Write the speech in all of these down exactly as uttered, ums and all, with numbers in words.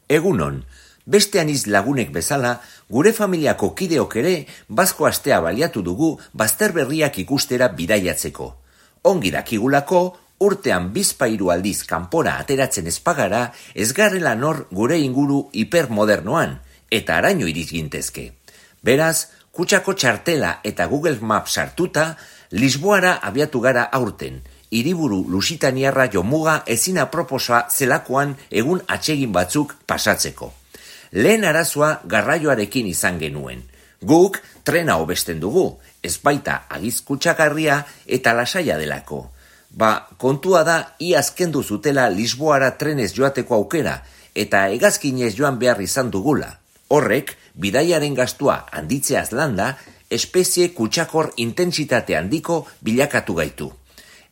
Egunon, beste aniz lagunek bezala, gure familiako kideok ere bazko astea baliatu dugu bazter berriak ikustera bidaiatzeko. Ongi dakigulako, urtean bizpahiru aldiz kanpora ateratzen ezpagara, ez garela nor gure inguru hipermodernoan, eta araño iriz gintezke. Beraz, kutsako txartela eta Google Maps sartuta, Lisboara abiatu gara aurten, hiriburu lusitaniarra jomuga ezin aproposa zelakoan egun atsegin batzuk pasatzeko. Lehen arazoa garraioarekin izan genuen. Guk trena hobesten dugu, ez baita agiz kutsagarria eta lasaia delako. Ba, kontua da iaz kendu zutela Lisboara trenez joateko aukera eta hegazkinez joan behar izan dugula. Horrek, bidaiaren gastua handitzeaz landa, espezie kutsakor intentsitate handiko bilakatu gaitu.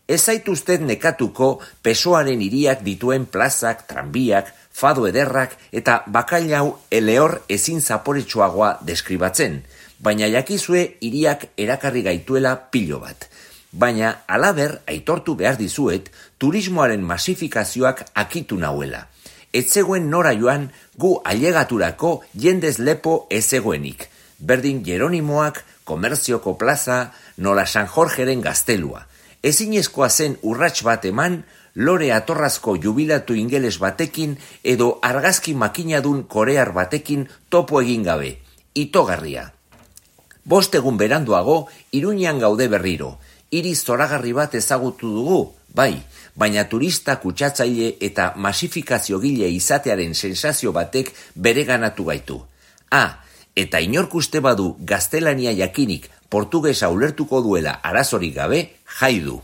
Ez zaituztet nekatuko pesoaren hiriak dituen plazak, tranbiak, fado ederrak eta bakailau elehor ezin zaporetsuagoa deskribatzen, baina jakizue hiriak erakarri gaituela pilo bat. Baina halaber aitortu behar dizuet turismoaren masifikazioak akitu nauela. Ez zegoen nora joan gu ailegaturako jendez lepo ez zegoenik. Berdin Jeronimoak, Komerzioko plaza, nola San Jorgeren gaztelua. Ezinezkoa zen urrats bat eman, lore atorrazko jubilatu ingeles batekin edo argazki makinadun korear batekin topo egin gabe. Itogarria. Bost egun beranduago, Iruñean gaude berriro. Hiri zoragarri bat ezagutu dugu, bai, baina turista kutsatzaile eta masifikazio gile izatearen sensazio batek bereganatu gaitu. Ah, eta inork uste badu gaztelania jakinik portugesa ulertuko duela arazorik gabe, jai du.